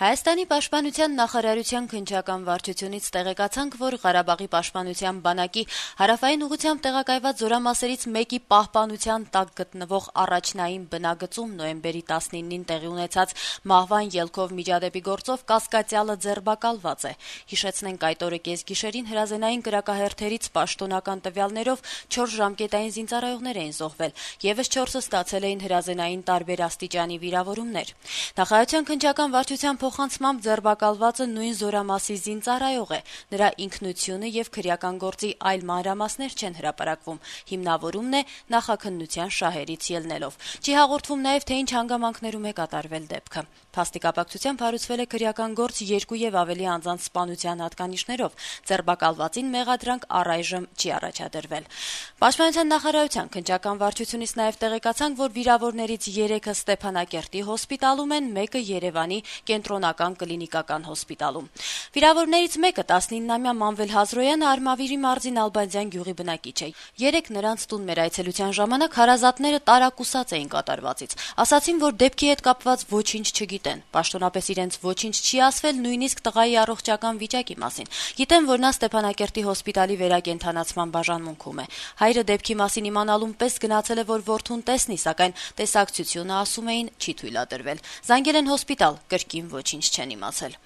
Հայաստանի պաշտպանության նախարարության քննչական վարչությունից տեղեկացանք, որ Ղարաբաղի պաշտպանության բանակի հարավային ուղղությամբ տեղակայված զորամասերից մեկի պահպանության տակ գտնվող առաջնային բնագծում նոյեմբերի 19-ին տեղի ունեցած մահվան ելքով միջադեպի գործով կասկածյալը ձերբակալված է։ Հիշեցնենք, այդ օրը կեսգիշերին հրազենային կրակահերթերից պաշտոնական տվյալներով 4 ժամկետային զինծառայողներ էին զոհվել, եւս 4-ը ստացել էին հրազենային տարբեր աստիճանի վիրավորումներ։ Նախարարության քննչական վարչության փոխանցմամբ ձերբակալվածը նույն զորամասի զինծառայող է։ Նրա ինքնությունը եւ քրեական գործի այլ մանրամասներ չեն հրապարակվում։ Հիմնավորումն է նախաքննության շահերից ելնելով։ Չի հաղորդվում նաեւ, թե ինչ հանգամանքներում է կատարվել դեպքը։ Փաստի կապակցությամբ հարուցվել է քրեական գործ 2 եւ ավելի անձանց սպանության հատկանիշներով։ Ձերբակալվածին մեղադրանք առայժմ չի առաջադրվել։ Պաշտպանության նախարարության քննչական վարչությունից նաեւ տեղեկացանք, որ վիրավորներից 3-ը Ստեփանակերտի հոսպիտալում են, մեկը Երևանի կենտրոնական կլինիկական հոսպիտալում։ Վիրավորներից մեկը 19-ամյա Մանվել Հազրոյանը Արմավիրի մարզի Ալբանդյան գյուղի բնակիչ է։ 3 նրանց տուն մեր այցելության ժամանակ հարազատները տարակուսած էին կատարվածից։ Ասացին, որ դեպքի հետ կապված ոչինչ չգիտեն։ Պաշտոնապես իրենց ոչինչ չի ասվել նույնիսկ տղայի առողջական վիճակի մասին։ Գիտեն, որ նա Ստեփանակերտի հոսպիտալի վերակենդանացման բաժանմունքում է։ Հայրը դեպքի մասին իմանալուն պես գնացել է, որ որդուն տեսնի, սակայն տեսակցությունը, ասում էին, չի թույլատրվել։ Զանգել են հոսպիտալ, կրկին ոչինչ չեն իմացել։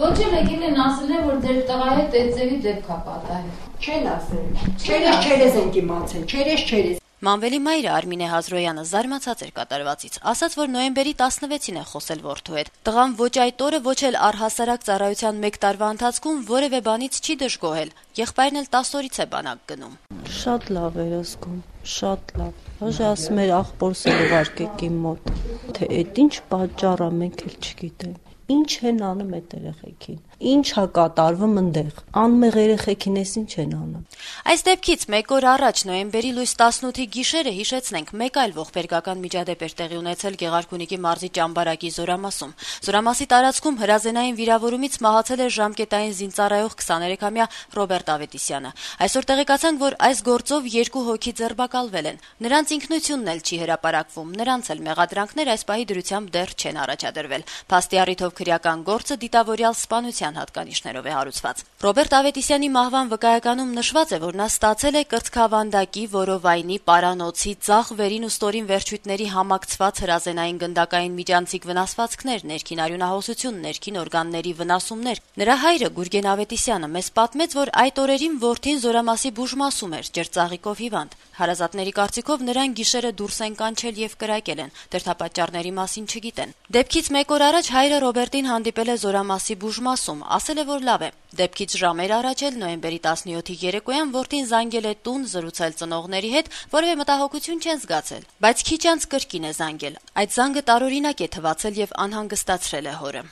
Ոչ էլ եկին են ասել են, որ ձեր տղայի հետ այդձևի դեպք է պատահել։ Չեն ասել։ Չերես ենք իմացել, չերես։ Մանվելի մայրը Արմինե Հազրոյանը զարմացած էր կատարվածից, ասաց, որ նոյեմբերի 16-ին է խոսել որդու հետ։ Տղան ոչ այդ օրը, ոչ էլ առհասարակ ծառայության 1 տարվա ընթացքում որևէ բանից չի դժգոհել։ Եղբայրն էլ 10 օրից է բանակ գնում։ Շատ լավ էր զգում, շատ լավ։ Ոչ ասում էր աղբորս ուղարկեք իմ մոտ, թե այդ ինչ պատճառ է, մենք էլ չգիտենք։ Ինչ են անում այդ երեխեքին։ Ինչ է կատարվում այնտեղ։ Անմեղ երեխեքին էս ինչ են անում։ Այս դեպքից 1 օր առաջ նոյեմբերի լույս 18-ի գիշերը հիշեցնենք, մեկ այլ ողբերգական միջադեպ էր տեղի ունեցել Գեղարքունիքի մարզի Ճամբարակի զորամասում։ Զորամասի տարածքում հրազենային վիրավորումից մահացել էր ժամկետային զինծառայող 23-ամյա Ռոբերտ Ավետիսյանը։ Այսօր տեղեկացանք, որ այս գործով 2 հոգի ձերբակալվել են։ Նրանց ինքնությունն էլ չի հրապարակվում, նրանց էլ մեղադրանքներ այս պահի դրությամբ դեռ չեն առաջադրվել։ Փաստի առիթով քրեական գործը դիտավորյալ սպանության հատկանիշներով է հարուցված։ Ռոբերտ Ավետիսյանի մահվան վկայականում նշված է, որ նա ստացել է կրծքավանդակի, որովայնի, պարանոցի, ձախ վերին ու ստորին վերջույթների համակցված հրազենային գնդակային միջանցիկ վնասվածքներ, ներքին արյունահոսություն, ներքին օրգանների վնասումներ։ Նրա հայրը Գուրգեն Ավետիսյանը մեզ պատմեց, որ այդ օրերին որդին զորամասի բուժմասում էր, ջրծաղիկով հիվանդ։ Հարազատների կարծիքով նրան գիշերը դուրս են կանչել եւ կրակել են։ Դրդապատճառների մասին չգիտեն։ Դեպքից 1 օր առաջ հայրը Ռոբերտին հանդիպել է զորամասի բուժմասում, ասել է, որ լավ է։ Դեպքից ժամեր առաջ էլ նոյեմբերի 17-ի երեկոյան որդին զանգել է տուն զրուցել ծնողների հետ, որևէ մտահոգություն չեն զգացել, բայց քիչ անց կրկին է զանգել։ Այդ զանգը տարօրինակ է թվացել եւ անհանգստացրել է հորը։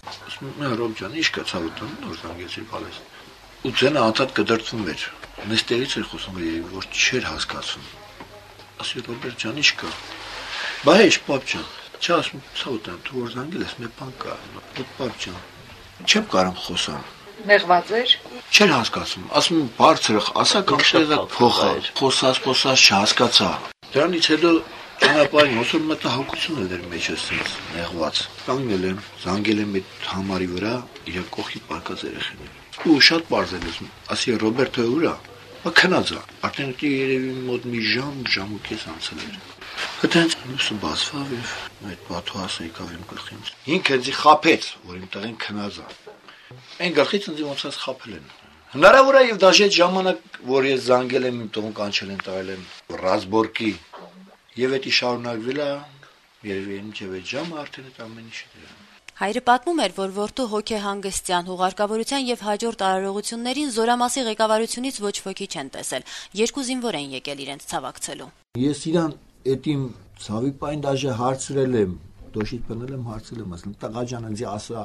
Ռոբ ջան, ի՞նչ կա ցավոտ, նոր զանգեցի բալես։ Ու ցենը անդադ կդրթվում էր։ Նստերից էր խոսում, որ չէր հասկացում։ Ասի Ռոբերտ ջան, ի՞նչ կա։ Բա հեչ, պապ ջան, չասում, ցավոտ, դու որ զանգել ես, մի բան կա։ Պապ ջան, չեմ կարող խոսամ։ Մեղված էր։ Չէր հասկացում, ասում բարձրը, ասա կամ շեզակ փոխա։ Խոսած չհասկացա։ Դրանից հետո ճանապարհին ոսոր մտահոգություն էր մեջս ինձ նեղված։ Կանգնել եմ, զանգել եմ այդ համարի վրա իր կողքի պարկած երեխաներին։ Ու շատ բարձր եմ, ասի Ռոբերտը ուր է։ Բա քնած է։ Արդեն երևի մոտ մի ժամ ու կես անցել էր։ Հետո լույսը բացվավ եւ այդ բաթուհասը եկավ իմ գլխին։ Ինքը ինձ խաբեց, որ իմ տղեն քնած է։ Այն գլխից ինձ ոնց խաբել են։ Հնարավոր է եւ դաժե այդ ժամանակ, որ ես զանգել եմ, իմ տողն կանչել են տվել եմ Ռազբորկի եւ դա շարունակվել է, երևի մինչեւ այդ ժամը արդեն այդ ամեն ինչը դրա։ Հայրը պատմում էր, որ որդու հոգեհանգստյան, հուղարկավորության եւ հաջորդ արարողություններին զորամասի ղեկավարությունից ոչ ոքի չեն տեսել։ 2 զինվոր են եկել իրենց ցավակցելու։ Ես իրան այդ իմ ցավի պայն դաժե հարցրել եմ, դոշիտ բնել եմ հարցրել եմ, ասել տղա ջան, ինձ ասա,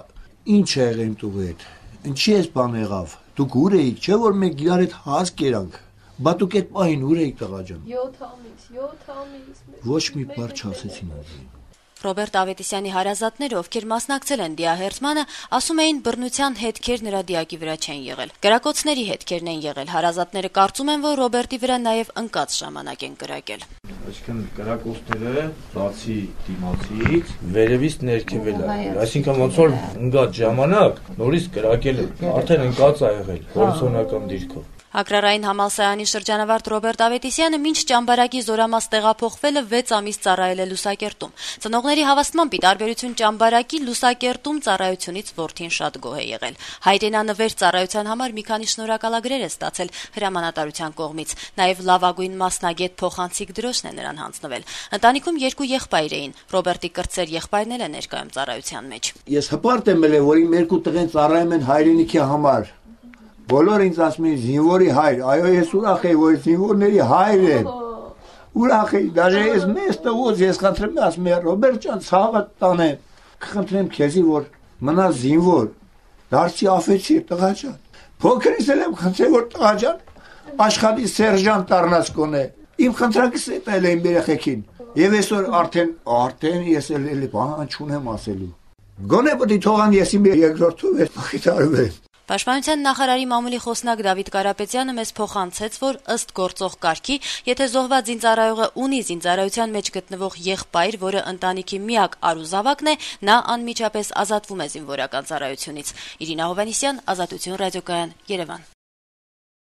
ինչ է եղել իմ տուղի հետ։ Ինչի՞ էս բան եղավ։ Դուք ուր էիք, չէ՞ որ մենք իրար հետ հաս կերանք։ Բա դուք այդ պահին ուր էիք տղա ջան։ 7 ամիս։ Ոչ մի բառ չասեցին ինձ։ Ռոբերտ Ավետիսյանի հարազատները, ովքեր մասնակցել են դիահերձմանը, ասում էին, բռնության հետքեր նրա դիակի վրա չեն եղել։ Կրակոցների հետքերն են եղել։ Հարազատները կարծում են, որ Ռոբերտի վրա նաև ընկած ժամանակ են կրակել։ Այսինքն կրակոցները բացի դիմացից վերևից ներքևել է։ Այսինքն ոնց որ ընկած ժամանակ նորից կրակել է, արդեն ընկած ա եղել հորիզոնական դիրքով։ Ագրարային համալսարանի շրջանավարտ Ռոբերտ Ավետիսյանը մինչ ճամբարակի զորամաս տեղափոխվելը 6 ամիս ծառայել է Լուսակերտում։ Ծնողների հավաստմամբ, ի տարբերություն ճամբարակի, Լուսակերտում ծառայությունից որդին շատ գոհ է եղել։ Հայրենանվեր ծառայության համար մի քանի շնորհակալագրեր է ստացել հրամանատարության կողմից։ Նաև լավագույն մասնագետ փոխանցիկ դրոշն է նրան հանձնվել։ Ընտանիքում 2 եղբայր էին։ Ռոբերտի կրտսեր եղբայրն էլ է ներկայում ծառայության մեջ։ Ես հպարտ եմ ել, որ իմ 2 տղեն ծառայում են հայրենիքի համար։ Բոլորը ինձ ասում են զինվորի հայր, այո ես ուրախ եմ, որ զինվորների հայր եմ։ Ուրախ եմ, դաժե ես մեծ տղուց ես խնդրեմ, ասում եմ Ռոբերտ ջան, ցավը տանեմ, կխնդրեմ քեզի, որ մնա զինվոր, դարձի աֆեցիր տղա ջան։ Փոքրից էլ եմ խնդրել, որ տղա ջան աշխատի սերժանտ դառնաս կոնե։ Իմ խնդրակս է տել եմ երեխեքին։ Եվ այսօր արդեն ես էլ բան չունեմ ասելու։ Գոնե պետք է թողան ես իմ երկրորդով ես փոխարինվել։ Պաշտպանության նախարարի մամուլի խոսնակ Դավիթ Կարապետյանը մեզ փոխանցեց, որ ըստ գործող կարգի, եթե զոհված զինծառայողը ունի զինծառայության մեջ գտնվող եղբայր, որը ընտանիքի միակ արուզավակն է, նա անմիջապես ազատվում է զինվորական ծառայությունից։ Իրինա Հովհաննիսյան, Ազատություն ռադիոկայան, Երևան։